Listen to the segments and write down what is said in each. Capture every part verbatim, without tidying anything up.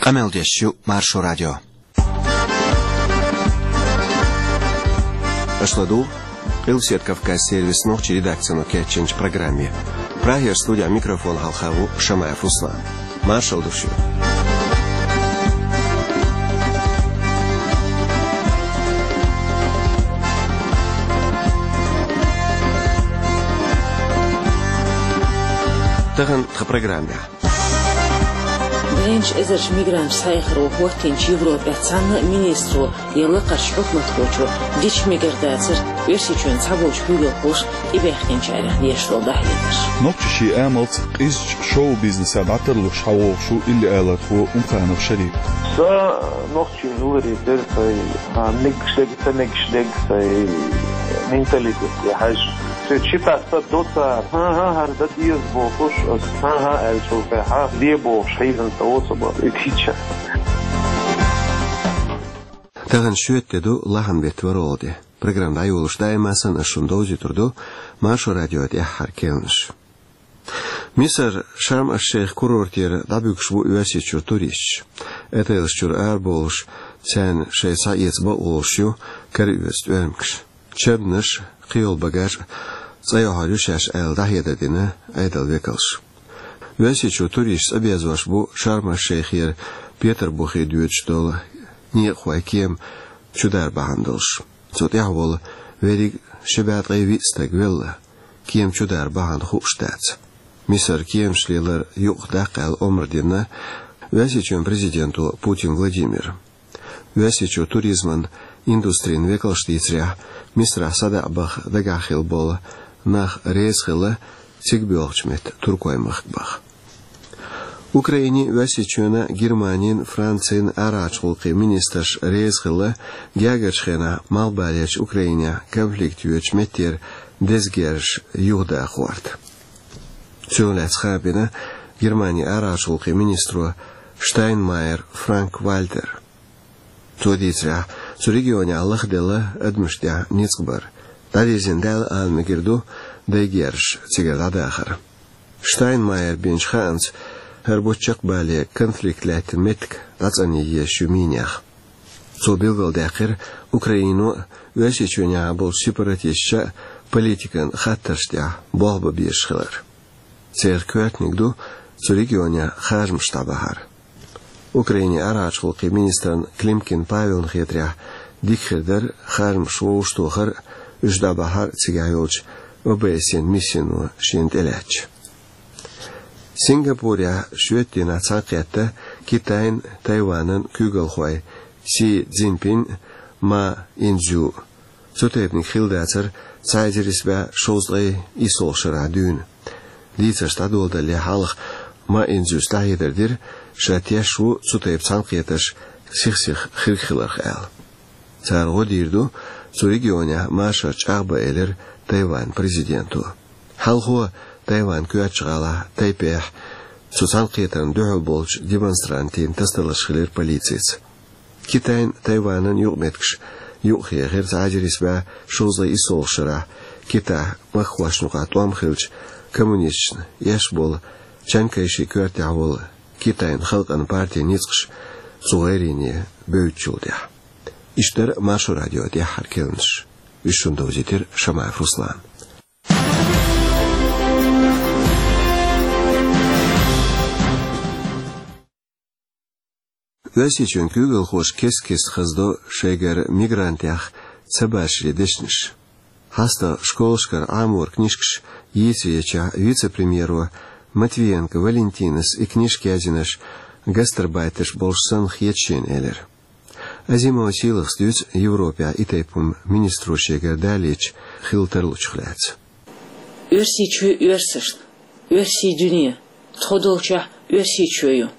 Къамел деш ю Маршо радио. Аша ладугӀу Къилбаседа Кавказан сервисан нохчийн редакцино кечйинчу программе. Прагера студехь микрофон хьалха ву Шамаев Руслан. Маршалла ду шуьга. Тахана тхан программехь. Дайначу эзарчу мигранташ схьаэцаро хӀоттийначу Европехь цхьанна а министро я лакхарчу хьукматхочо дича мегар дацара Оьрсийчоьнан цхьаболчу куьйгалхоша тӀебаьхкинчарех деш долу дӀахьедарш. Нохчийн амалца къизачу шоу-бизнесехь дӀатарлуш схьавогӀуш ву илли-алархо Умханов Шарип. Сан нохчийн уллехь дерг сан, а, мегаш дерг, ца мегаш дерг сан, менталитет я хьаьжа. Цуьнан ши тасса до цара. ХӀан-хӀа, хӀара дан деза бохуш, аса хӀан-хӀа аьллачул тӀаьхьа де бохуш хьийзина ца воцу бан и кийча. Тахана шоьтан де ду, лахьан беттан ворхӀалгӀа де. Программа дӀайолош даима санна аса шуна довзуьйтур ду Маршо радион тӀаьххьара керланаш. Мисар Шарм-аш-Шейх курортера дӀабуьгуш бу Оьрсийчуьра туристаш. Отелаш чуьра арабовлуш, царна шайца схьаэца бакъо луш ю кара оьцу тӀоьрмигаш. Чабнаш, кхийолу багаж цӀа йохьур ю шаьш аьлла, дӀахьедар дина Ӏедалан векалша. Оьрсийчуьра туристаш цӀа безош бу Шарм-аш-Шейхера Петарбухе доьдуш долу некъахойн кема чудар бахьана долуш. Цу тӀехь волу верриг ши бӀе ткъе виъ стаг велла, кема чудар бахьана хууш дац. Мисар кеманаш лелар юкъахдаккха аьлла омра дина Оьрсийчоьнан президенто Путин Владимира. Оьрсийчоьнан туризман индустрин векалша дийцарехь, Мисарахь садаӀа баха дагахь хилла болу нах реза хилла цига боьлхучу метта туркойн махка баха. Украинин, Оьрсийчоьнан, Германин, Францин арахьарчу гӀуллакхийн министраш реза хилла гергарчу хенахь малхбалерчу Украинехь конфликт йоьдучу меттера деза герзаш юхадахарна. Цунах лаьцна хаам бина Германин арахьарчу гӀуллакхийн министро Штайнмайер Франк-Вальтеро. Цо дийцарехь, цу регионехь лахделла адамашна тӀехь ницкъ бар. ДӀадирзина даьлла ала мегар ду дайн герзаш цигара дӀадахар. Штайнмайера бинчу хаамца, хӀара бутт чекхбале конфликт лаьттина меттиг дӀацӀанъян езаш ю минех. Цо билгалдаьккхира Украино а, Оьрсийчоьнехь болчу сепаратисташа а политикан хаттаршна тӀехь болх бан безаш хилар. Церан коьртаниг ду цу регионехь харжамаш дӀабахьар. Украинин арахьарчу гӀуллакхийн министрна Климкин Павелна хетарехь, дика хир дара харжамаш вовшахтохар а, уьш дӀабахьар а цигахь йолчу О Б С Н миссино шена тӀелаьцча. Сингапурехь шоьтан дийнахь цхьаьнакхетта Китайн, Тайванан куьйгалхой Си Цзиньпин а, Ма Инцзю а. Цу тайпаниг хилла дацара цхьа эзар исс бӀе шовзткъе иссолгӀачу шарахь дуьйна. Дийцарш дӀадоладалале хьалха Ма Инцзюс дӀахьедар дира, ша теш ву цу тайпа цхьаьнакхетарш сих-сиха хирг хиларх аьлла. Цара гӀо дийр ду цу регионехь машар чӀагӀбан, элира Тайванан президенто. Хьалхо Тайванан коьртачу гӀалахь Тайпейхь цу цхьаьнакхетарна дуьхьал болчу демонстрантийн тасадаларш хилира полицица. Китайн, Тайванан юкъаметтигаш юкъахьехира цхьа эзар исс бӀе шовзткъе иссолгӀачу шарахь Китайхь махкахошна юкъахь тӀом хиллачу коммунисташна эшна болу Чан Кайшин коьртехь волу Китайн халкъан партин ницкъаш цу гӀайрене бевддачул тӀаьхьа. Иштта дара Маршо радион тӀаьххьара керланаш. Уьш шуна довзийтира Шамаев Руслана. Оьрсийчоьнан куьйгалхоша кест-кеста хазадо шайгара мигрантех ца башаре дешнаш. ХьастагӀа школашкара Ӏаморан книжкаш йийцаречохь вице-премьеро Матвиенко Валентинас и книжка яздинарш гастарбайтерш болуш санна хета шена, элира. Азимова Сийлахас дуьйцу Европехь и тайпа хӀума министро шегара далийча хилла тарлучух лаьцна. Оьрсийчоь оьрсашна, оьрсийн дуьне, тхо долчохь Оьрсийчоь ю,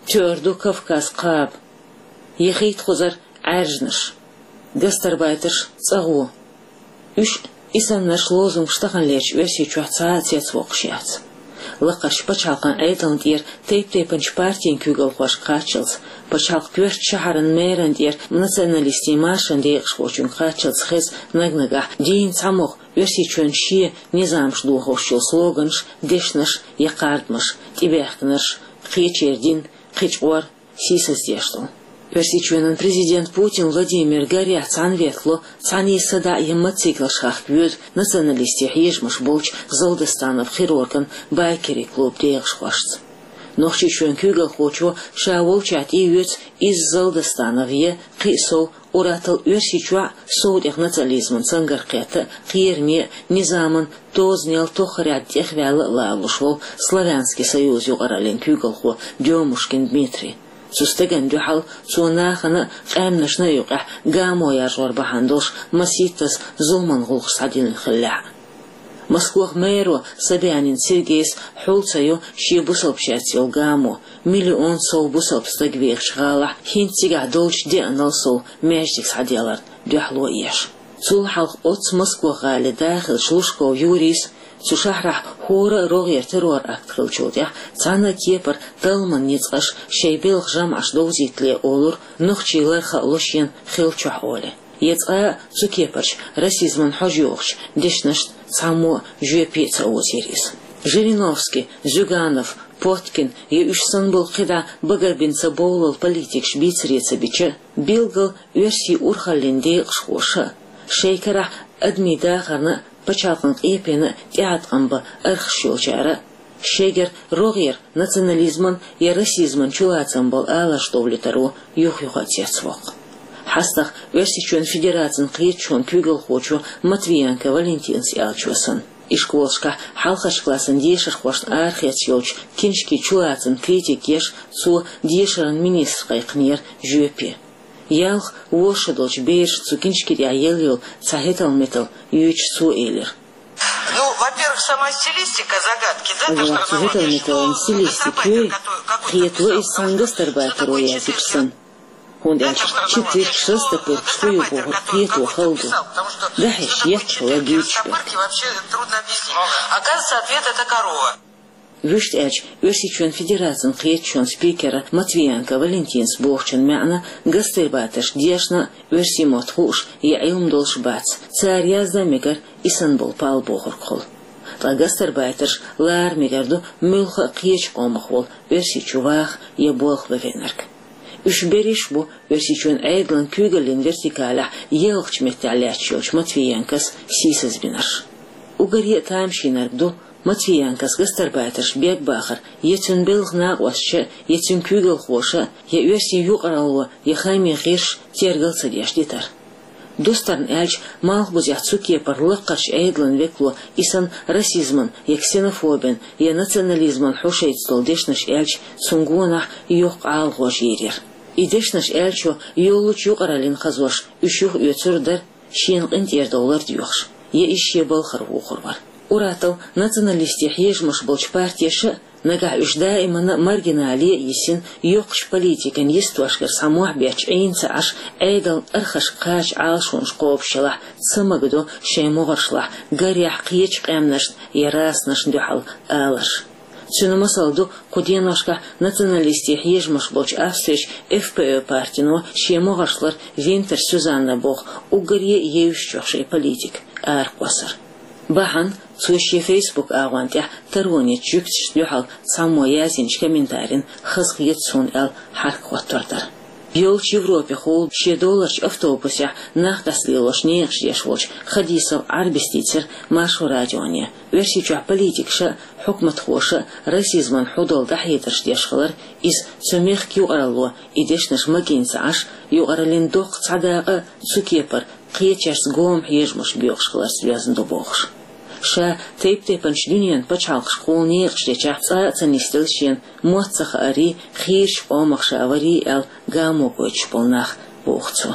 тоьар ду Кавказ кхаба, яхийта кхузара Ӏаьржанаш, гастарбайтерш цӀа гӀо. Уьш, и саннарш, лозунгаш таханлерчу Оьрсийчохь цхьа а цецвоккхуш яц. Лакхарчу пачхьалкхан Ӏедална тӀера тайп-тайпанчу партийн куьйгалхошка кхаччалц, пачхьалкхан коьртачу шахьаран мэран тӀера националистийн маршан декъашхочуьнга кхаччалц хеза наг-нагахь дийна цхьамогӀа Оьрсийчоьнан шен низамаш дохош йолу слоганаш, дешнаш я кхардамаш, тӀебаьхкинарш, кхечеран дин, кхечу къор, сийсаздеш долу. Оьрсийчоьнан президент Путин Владимир гарехь цхьаьна ветло, цхьаьний садаӀа я мотоциклаш хахка воьду националистийн хьежамаш болчу Залдостанов хирурган байкерийн клуб декъашхошца. Нохчийчоьнан куьйгалхочо ша волчохь тӀеоьцу иза Залдостанов я кхин а сов, уьттазза Оьрсийчохь сов тӀехь национализман цангарх кхетта а, кхераме а, низаман тозанел тоххарехь тӀехваьлла а лоруш волу Славянский союз юкъараллин куьйгалхо Дёмушкин Дмитрий. Цу стагана дуьхьал цо нахана а, къаьмнашна а юкъахь гамо яржор бахьана долуш масийттаза зуламан гӀуллакхаш схьадиллина хиллехь а. Москвахь мэро Собянин Сергейс хьул ца йо шен бусалбачаьрца йолу гамо, миллион сов бусалба стаг вехачу гӀалахь хӀинца цигахь долчу деанал сов маьждиг схьаделларна дуьхьало а еш. Цул хьалха оццу Москва-гӀалин да хиллачу Лужков Юрийс, цу шахьарахь хӀора а рогӀера террор-акт хиллачул тӀаьхьа цхьана а кепара талламан ницкъаша шайн белхан жамӀаш довзийтале олура, нохчий лар хаало шена хиллачохь олий. Я цкъа а цу кепарчу расизман хьожа йогӀучу дешнашна цхьаммо а жоьпе а ца озийра иза. Жириновский, Зюганов, Поткин я уьш санна болу кхидӀа багарбина ца бовлал политикаш бийцаре ца бича, билггал оьрсийн урхаллин декъашхоша а, шайн карахь адамийн дахарна а, пачхьалкхан къепенна а тӀеӀаткъам бан архаш йолчара а, шайгара рогӀера национализман я расизман чулацам болу аларш довлийтаро юх-юха а цецвоккху. ХьастагӀа Оьрсийчоьнан Федерацин кхеташонан куьйгалхочо Матвиенко Валентинас аьллачо санна, ишколашкахь хьалхарчу классан дешархошна арахеца йолчу киншкийн чулацамна критика еш, цо дешаран министр кхайкхинера жоьпе. Ялх, ворхӀ шо долчу берашна цу киншки тӀехь елла йолу цхьа хӀетал-метал йоьдуш цо элира: Ну, во-первых, сама стилистика загадки, да, то, что Ага, цу хӀетал-металан стилистика йой, хетало иза цхьана гастарбайтеро яздича санна. ХӀунда аьлча читырш, растопыркаш хӀун ю бохург кхето хала ду. ДӀахьош еттахь хала дуьйцуш берг. Оказывается, ответ — это корова. Вуьшта аьлча, Оьрсийчоьнан Федерацин кхеташонан спикера Матвиенко Валентинас бохучун маьӀна гастарбайтерш дешна а, оьрсийн мотт хууш я Ӏилма долуш бац, цара яздан мегар и санна болу пал бохург хула. Ткъа гастарбайтерш лара мегар ду муьлхха а кхечу къомах волу оьрси чу ваха я болх бан веанарг. Уьш берриш а бу Оьрсийчоьнан Ӏедалан куьйгаллин вертикалехь елхачу меттехь лаьтташ йолчу Матвиенкос сийсазбинарш. Уггаре а тамашийнарг ду, Матвиенкос гастарбайтерш бегбахар я цуьнан белхан накъосташа, я цуьнан куьйгалхоша, я оьрсийн юкъаралло, я хаамийн гӀирсаша тергал ца деш дитар. Дустарна аьлча, малхбузехь цу кепара лаккхарчу Ӏедалан векало и санна расизман я ксенофобин я национализман хьошайца долу дешнаш аьлча, цунна гонах йоккха ӀалагӀожа йийр яра. И дешнаш аьллачо йоллучу юкъараллина хазош уьш юхаоьцур а дара, шена къинтӀера довлар доьхуш, я иза шен балхара вухур вара. Уьттазза националистийн хьежамаш болчу партеша а, нагахь уьш даимана а маргинале а йисина, йоккхачу политикан йистошкара схьа мохь бетташ Ӏийна ца Ӏаш, Ӏедална архашка кхача Ӏалашонаш кхобуш елахь, ца магадо шайн могӀаршлахь, гарехь, кхечу къаьмнашна я расашна дуьхьал аларш. Цуьнан масал ду кху деношкахь националистийн хьежамаш болчу Австрерчу F P Ö партино шен могӀаршлара Винтер Сюзанна боху уггаре а евзачех шайн политика аракхоссар. Бахьана цо шен Facebook агӀонна тӀехь таронечу жуьгташна дуьхьал цхьаммо яздинчу комментарина хазахета суна аьлла хьаракхоттор дара. Йолчу Европехула шен доларчу автобусехь нах дӀасалелош некъаш деш волчу Хадисов Ӏарбис дийцира Маршо радионе. Оьрсийчохь политикаша а, хьукматхоша а расизман хьу долу дӀахьедарш деш хилар, иза цу мехка юкъаралло и дешнаш магийна ца Ӏаш, юкъараллин доккха цхьа дакъа а цу кепара кхечаьрца гома хьежамаш боькъуш хиларца доьзна ду бохуш. Ша тайп-тайпанчу дуьненан пачхьалкхашкахула некъаш дечохь цкъа а ца нисделла шена мотт ца хаарий, хийрачу къомах ша варий аьлла гамо гойтуш болу нах, боху цо.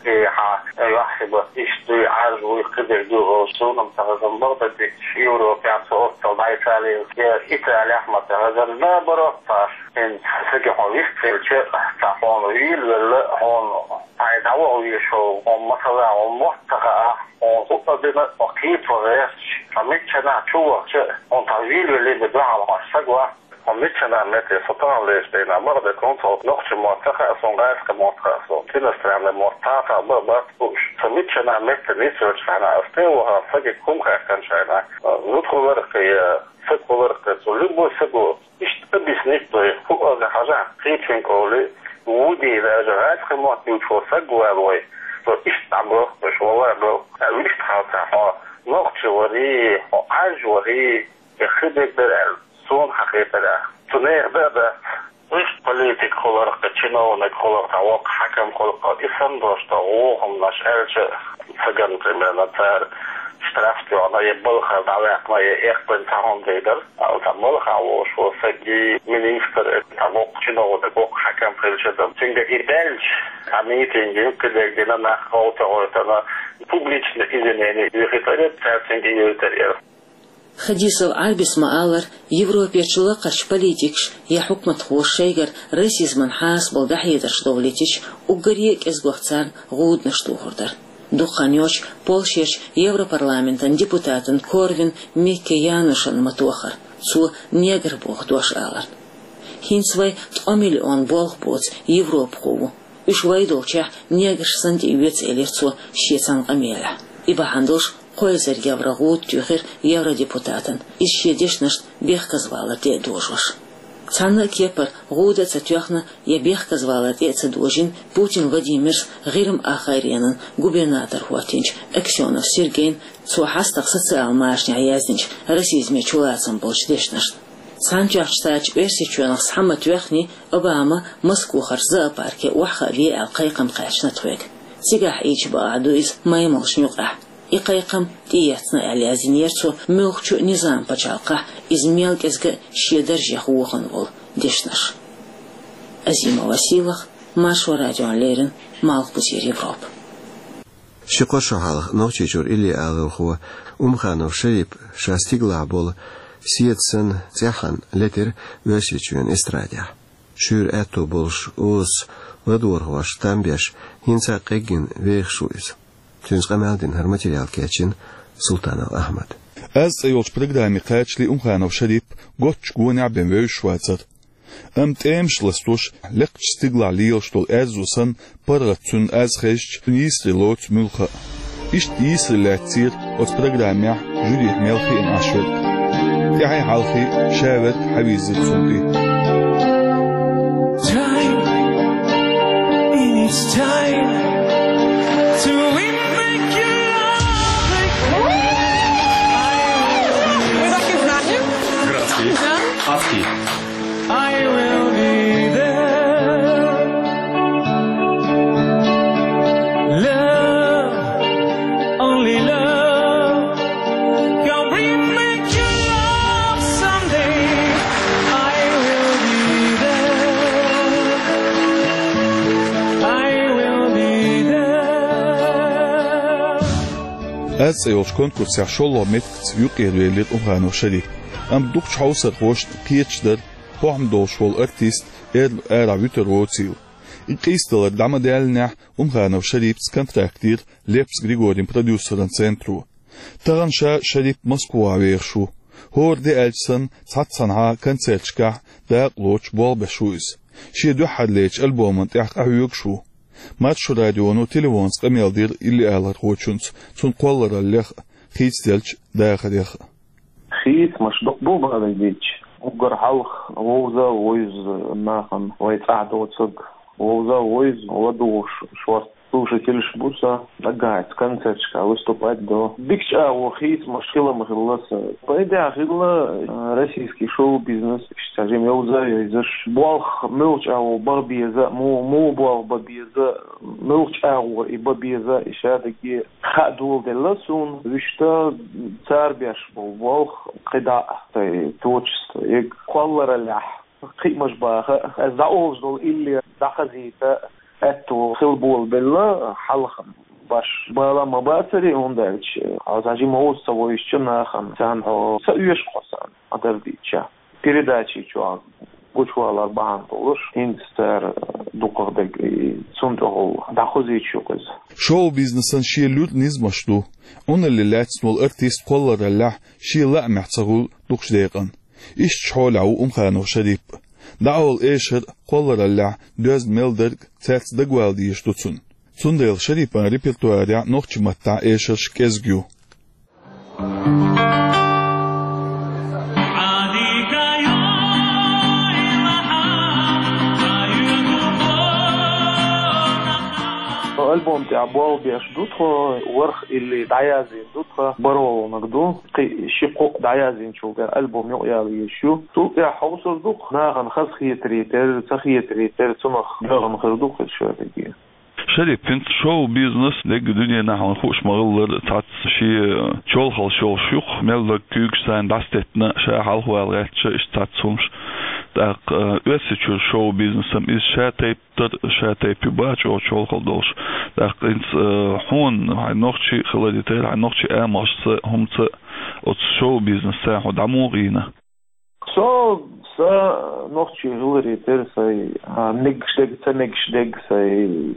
И хьан юьхь хиба иштта дуй, Ӏаьржа вуй, кхидерг ю олуш, суна-м ца хезна, бакъдерг дийцича, Европехь цу оццул дӀа Италица я Италехь ма ца хезна, наоборот, цхьа хӀинца сага хьо вист хилча, цхьа хьуна вийла велла, хьуна хьайн дӀаваха везаш волу, хьуна масала, хьуна мотт ца хаахь, хьуна хӀуъа дина, хьо кхетаван гӀерташ, хьо миччанахь чу вахча, хьуна цхьа вийла велла бен дуьхьал хьо саг вац. Хьо миччанахь метте со тахана лечу дийнахь, бакъдерг хӀунда, хьо нохчийн мотт ца хаьа суна, гӀазкхийн мотт хаьа суна, иностранный мотт цхьа а хаьа, бан бац хууш. Со миччанахь метте нисвелчу хенахь, ас тӀе а вахана, сагиг хӀума хаьттинчу хенахь, зудхо ларах кхин я Саг хуларх цо, любой саго, иштта объяснить дой, хӀу ага хьажа, кхечен къоли, вуди даже гӀаьцхи мотт ювчхо саг вал вай, цо иштта дӀабохкуш, вала бо, а вуьшта хьалца хьо, нохчи вари, хьо Ӏаж вари, я хи дегдар аьлла, суна хьахетарах. Цу нех да а дац. Уьш политик хуларх, чиновник хуларх, воккха хьакам хуларх, и санна дош да, вохамнаш аьлча, цаган, примерно, цара штраф тоьхна, я балхара дӀаваьккхина, я эккхабан цхьа хӀума дайдар. Ала цхьа балха волуш волу саг, министр, цхьа воккха чиновник, воккха хьакам хилча дан. Цуьнга и баьлча, цхьа митинг, юккъе дерг дина, нах гӀовта гӀойтана, публичный извинение юьхийтар яра, цара цуьнга юьйтар яра. Хадисов Ӏарбис ма-аллара, Европерчу лакхарчу политикаша я хьукматхоша шайгара расизмана хьасабалла дӀахьедарш довлийтича, уггаре а кӀезигох царна гӀуданаш тухур дара. Дукха хан йоццуш Польшерчу Европарламентан депутатана Корвин Микке Янушна ма-тохара, цо негр боху дош аларна. ХӀинца вайн ткъа миллион болх боцу европахо ву. Уьш вай долчехь неграш санна тӀеоьцу, элира цо шен цхьана къамелехь. И бахьана долуш кхо эзар евро гӀуда туьйхира евродепутатана, иза шен дешнашна бехказавалар тӀе а дожош. Цхьанна а кепара гӀуда а ца тоьхна я бехказавалар тӀе а ца дожийна Путин Владимира ГӀирма Ахайренан губернатор хӀоттийначу Аксёнов Сергейна цо хьастагӀа социал машанехь яздинчу расизме чулацам болчу дешнашна. Цхьаьнатоьхначу Штаташа Оьрсийчоьнах схьа ма-тоьхний, Обама Москвахарчу зоопарке охьахаа ве аьлла кхайкхам кхаьчна тхоьга. Цигахь Ӏийча бакъахь ду иза маймалшна юкъахь. И кхайкхам тӀеэцна аьлла яздинера цо муьлххачу а низам пачхьалкхехь, иза мел кӀезга а шен даржех вохана волу дешнаш. Азима Василах, Маршо радиона леррина, Малхбузера Европа. Ши-кхо шо хьалха Нохчийчуьра иллиалархо Умханов Шарип ша стигалахь болу седа санна цӀеххьана летира Оьрсийчоьнан эстрадехь. Шуьйра аьтто болуш, озаца ладогӀархошна там беш, хӀинца а къеггина вехаш ву иза. Цуьнца къамел дина, хӀара материал кечйина Султанов Ахьмада. «Аз» цӀе йолчу программе кхачале Умханов Шарип готтачу гонехь бен вевзаш вацара. Амма тӀемаш ластош, лекхачу стигалахь лелаш долу аьззо санна, паргӀат цуьнан аз хезча, цуьнан йийсаре лоцу муьлхха а. Иштта йийсаре лаьцнера оцу программехь жюрихь мел хиъна Ӏаш верг. ТӀаьхье хьалхе ша верг хьавийзира цунна тӀе. Time, it's time to win back your love. Вы так и знали? Здравствуйте. Да. Аски. I will be there. Love, only love can bring me to love someday. I will be there. I will be there. «Аз» цӀе йолчу конкурсехь шолгӀа меттигаца юкъера велира Умханов Шарип. Амма дукхачу хьовсархошна кхеташ дара, хӀокхуьнан долуш волу артист эрна арахь вуьтур воцийла. И къийсадалар дӀа ма-даьллинехь, Умханов Шарипца контракт йира Лепс Григорин продюсеран центро. Тахана ша, Шарип, Москвахь вехаш ву. ХӀора де аьлча санна, цхьаццанхьа концерташкахь дакъа лоцуш болх беш ву иза. Шен дуьххьарлечу альбоман тӀехь къахьоьгуш ву. Маршо радионо телефонца къамел дира иллиалархочуьнца цунна кхоллараллех а, хийцаделлачу дахарех а. Хийцамаш дукха бу, бала дийцича. Уггар хьалха вовза а вовза нахана вай цӀахь доцург. Вовза а вовза, ладугӀуш шорта слушательш бу сан, дагахь концерташкахь выступать до. Дикачу агӀор хийцамаш хила ма хилла сан. Пайда хилла, э, российский шоу-бизнес, иштта жима йовза а йовзаш. Болх муьлхачу агӀор бан беза, муха, муха болх бан беза, муьлхачу агӀор и бан беза, и шадерриге хаа доладелла суна, вуьшта цара беш болу болх кхидӀа а, творчество, и кхоллараллехь кхиамаш баха, аса дӀаолуш долу илле дӀахазийта аьтто хила болабелла хьалха баш. Бала ма бацара, хӀунда аьлча хьо цхьа жима вовза ца вовзучу нахана, царна хьо ца оьшу, хьо царна, хьан дара дийцича. Передачи чохь гучувалар бахьана долуш, хӀинца цара дукхах дерг и цунна тӀехула дӀахозийча ю-кх иза. Шоу-бизнесан шен луьра низамаш ду. Ӏуналле лаьцна волу артист кхоллараллехь шен лаамехь ца хуьлу дукхачу декъана. Иштачу хьолехь ву Умханов Шарип. ДӀаолу эшар а, кхоллараллехь доьзна мел дерг а цаьрца дагавала дезаш ду цунна. Цундела Шарипан репертуарехь нохчийн маттахь эшарш кӀезиг ю. Альбом тӀехь болх беш ду тхо, ворхӀ илли дӀаяздина ду тхо, бархӀалгӀаниг ду. Кхин ши-кхо дӀаяздинчул тӀехь альбом юкъаяла езаш ю. Цул тӀехь хьовсур ду-кх, нахана хазахетаре терра, ца хетаре терра, цунах доьгӀна хир ду-кх из шоьтаге. Шарип, хӀинца шоу-бизнес дерриг дуьненахь, хьуна хууш ма-хиллара, цхьацца шен чолхалш йолуш ю-кх, мел дерг куьйгаш царна дӀасадеттина, ша хьалхавала гӀерташ, иштта цхьацца хӀумнаш. ТӀаккха, э, Оьрсийчуьра шоу-бизнесо-м иза шатайпа тар, шатайпа ю, баха чӀогӀа чолхалла долуш. ТӀаккха хӀинца, э, хьуна, хьайн нохчи хиларе терра, хьайн нохчи амалшца, хӀуманца, оцу шоу-бизнесца хьо дӀа муха гӀийна? Со, сан нохчи хиларе терра, сайн, а, мегаш дерг, ца мегаш дерг, сайн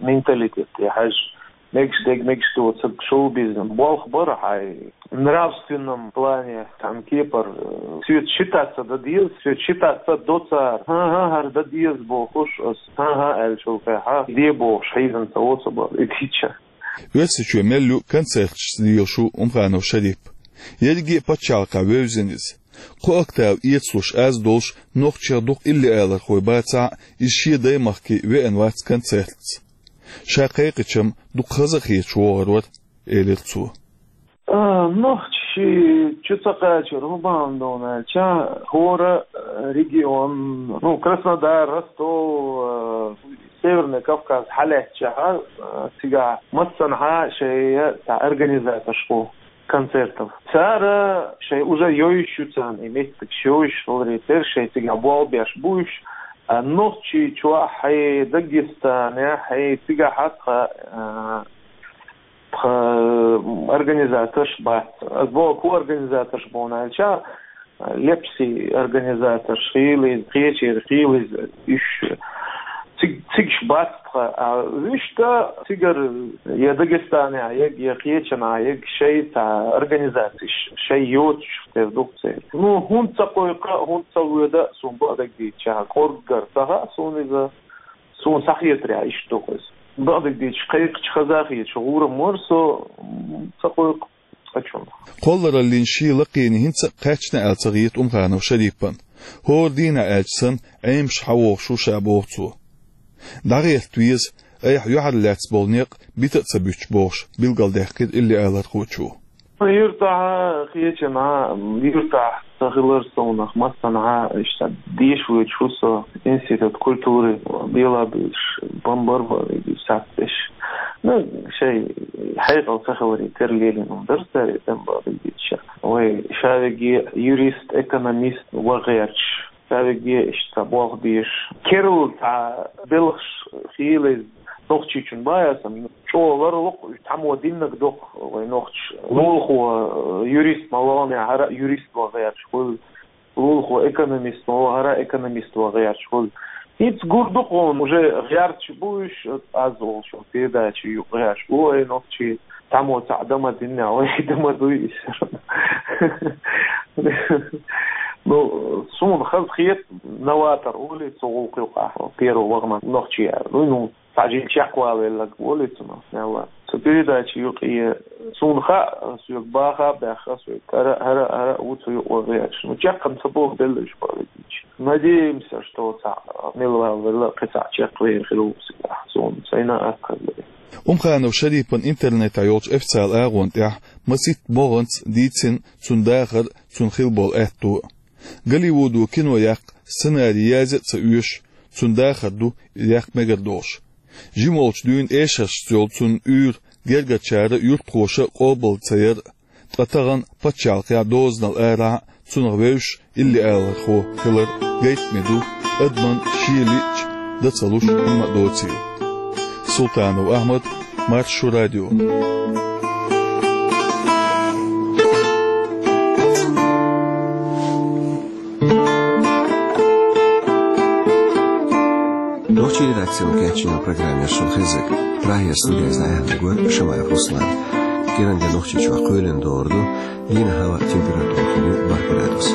менталитет тӀе хьаьжжа, мегаш дерг, мегаш доцург, шоу-бизнес. Болх бара хьайн нравственном плане, цхьана кепара, э, соьца шийтта ца дан деза, соьца шийтта ца до цара. ХӀан-хӀа, хӀара дан деза бохуш, ас хӀан-хӀа аьллачул тӀехьа де бохуш хьийзина ца воцу бара и дийча. Оьрсийчоь мел ю концерташца лелаш ву Умханов Шарип. Ерриге а пачхьалкхехь вевзина иза. Кхо октава эцалуш аз долуш, нохчех дукха иллиалархой бацахь а, иза шен даймахке веана вац концертца. Ша кхайкхича-м дукха хаза а хеташ вогӀур вара, элира цо. А, нохчий чу ца кхачар хӀун бахьана ду аьлча, хӀора, э, регион, ну, Краснодар, Ростов, э, Северный Кавказ хьалаьцчахьа, э, цигахь массанхьа шайн цхьа организаторш бу концертов. Цара шайн уже йовзуш ю царна и меттигаш, йовзуш хиларе терра, шайн цигахь болх беш бу уьш, а нохчий чохь, хьайн Дагестанехь, хьайн цигахь а тхан, а, тхан организаторш бац. Ас боху, хӀун организаторш бу аьлча, Лепси организаторш хилла иза, кхечеран хилла иза, уьш циг-, цигахь бац тхан. А вуьшта цигара я Дагестанехь ерг, я кхечанхьа ерг шайн цхьа организацеш, шайн йоцуш тера ду-кх церан. Ну, хӀунда ца кхойкху, хӀунда ца воьду, суна бакъдерг дийцича, кӀорггера ца хаьа суна иза, суна схьахетарехь иштта ду-кх иза. Бакъдерг дийцича, кхайкхича хаза а хеташ, гӀур-м вара со, м, ца кхойкху. Кхоллараллин шен лакхене хӀинца а кхаьчна аьлла ца хета Умханов Шарипан. ХӀора дийнахь аьлча санна, Ӏемаш хьан вогӀуш ву ша, боху цо. ДӀагӀерта веза, айхьа юьхьарлаьцна болу некъ бита а ца буьтуш, бохуш, билгалдаьккхира иллиалархочо. Юьртахь а, кхечанхьа а, юьртахь ца хилар совнах, массанхьа а иштта деша воьдуш ву со, институт культуры белабуьйлуш, бан бара бан вегий сацдеш. Ну, шайн хьекъал ца хиларе терра лелийна хӀума дара цара и тӀе, бакъдерг дийцича. Вай ша вегий юрист, экономист ван гӀерташ, ша вегий иштта болх беш. Керла цхьа белхаш хилла иза нохчичун бахьа санна, чӀогӀа ларло-кх, цхьаммо диннарг ду-кх вай нохчаша. Лулахо, э, юрист ма вахана, хӀара а юрист ван гӀерташ хуьлу. Лулахо экономист ма вахана, хӀара а экономист ван гӀерташ хуьлу. ХӀинца гур ду-кх хьуна, уже гӀерташ бу уьш, аз олуш, передача юкъа гӀерташ бу вай нохчий, цхьаммо цхьаъ дан ма диннехь, вай дан ма дуй уьш. Ну, суна хаза хета, новатор олий цу гӀуллакх юкъахь, первый вахана нохчий аьлла. Ну, ну, цхьа жима чекхвалавелларг волий цунах, мелла. Цу передача юкъе суна хаьа, соьга баха а баьхна, соьга хӀара, хӀара, хӀара а ву цу юкъа ван гӀерташ. Ну, чекхна ца боху белла уьш, бакъдерг дийцича. Надеемся, что цхьаъ милла валавелла, кхин цхьаъ чекхвер хир ву цигахь, суна сайна а атта хезара. Умханов Шарипан интернетехь йолчу официалан агӀонна тӀехь масийтта могӀанца дийцина цуьнан дахар, цуьнан хилла болу аьтто. Голливудо кино яккха сценарий язъя а ца оьшу, цуьнан дахар ду и яккха мегар долуш. Жима волчу дуьйна эшаршца йолу цуьнан уьйр гергарчара а, юьртахоша а къобалдан ца яр а, ткъа тахана пачхьалкхехь дозанал арахь а цунах вевзаш иллиалархо хилар гайтаме ду, адамна шен лиъча дан ца луш хӀумма а доцийла. Султанов Ахьмад, Маршо радио. Нохчийн редакцино кечйина программа яра шуна хезнарг. Прагера студехь иза дӀаяьхьнарг вара Шамаев Руслан. КӀиранге Нохчийчохь кхоьлина догӀур ду, дийнахь хӀаваан температура хир ю бархӀ градус.